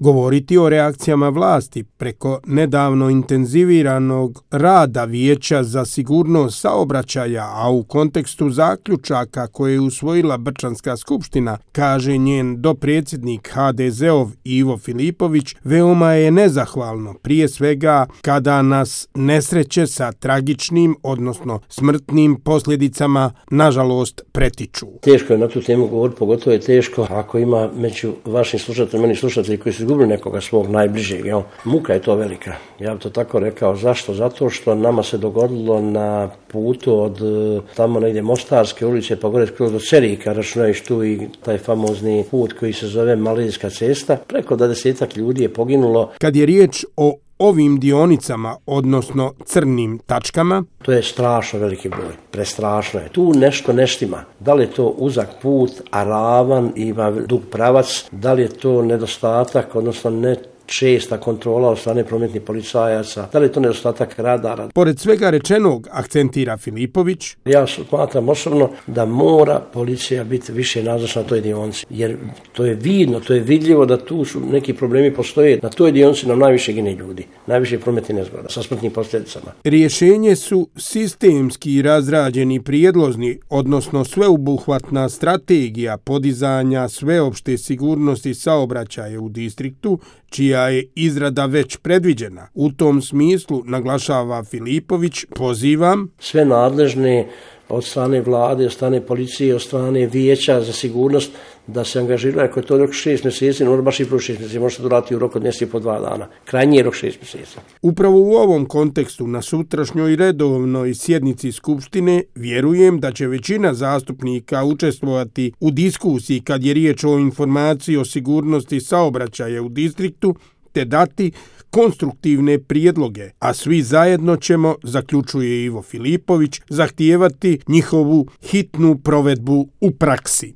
govoriti o reakcijama vlasti preko nedavno intenziviranog rada Vijeća za sigurnost saobraćaja, a u kontekstu zaključaka koje je usvojila Brčanska skupština, kaže njen dopredsjednik HDZ-ov Ivo Filipović, veoma je nezahvalno, prije svega kada nas nesreće sa tragičnim, odnosno smrtnim posljedicama, nažalost, pretiču. Teško je na tu temu govoriti, pogotovo je teško ako ima među vašim slušateljima, meni slušatelji koji su izgubili nekoga svog najbližeg. Muka je to velika. Ja bih to tako rekao. Zašto? Zato što nama se dogodilo na putu od tamo negdje Mostarske ulice pa gore skroz do Cerika, računajući tu i taj famozni put koji se zove Malezijska cesta. Preko 20 ljudi je poginulo. Kad je riječ o ovim dionicama, odnosno crnim tačkama, to je strašno veliki broj, prestrašno je. Tu nešto ne štima. Da li je to uzak put, a ravan, ima dug pravac, da li je to nedostatak, odnosno ne česta kontrola od strane prometnih policajaca, da li je to nedostatak radara. Pored svega rečenog, akcentira Filipović, ja smatram osobno da mora policija biti više nazočna na toj dionici, jer to je vidno, to je vidljivo da tu su neki problemi postoje. Na toj dionici nam najviše gine ljudi, najviše prometnih nezgoda sa smrtnim posljedicama. Rješenje su sistemski razrađeni prijedlozi, odnosno sveobuhvatna strategija podizanja sveopšte sigurnosti saobraćaja u distriktu, čija je izrada već predviđena. U tom smislu, naglašava Filipović, pozivam sve nadležne od strane vlade, od strane policije, od strane Vijeća za sigurnost da se angažiraju. Ako je to rok 6 mjeseci, no baš i plus 6 mjeseci, može se doraditi u roku od mjeseci po 2 dana. Krajnji je rok 6 mjeseci. Upravo u ovom kontekstu, na sutrašnjoj redovnoj sjednici Skupštine, vjerujem da će većina zastupnika učestvovati u diskusiji kad je riječ o informaciji o sigurnosti saobraćaja u distriktu, te dati konstruktivne prijedloge, a svi zajedno ćemo, zaključuje Ivo Filipović, zahtijevati njihovu hitnu provedbu u praksi.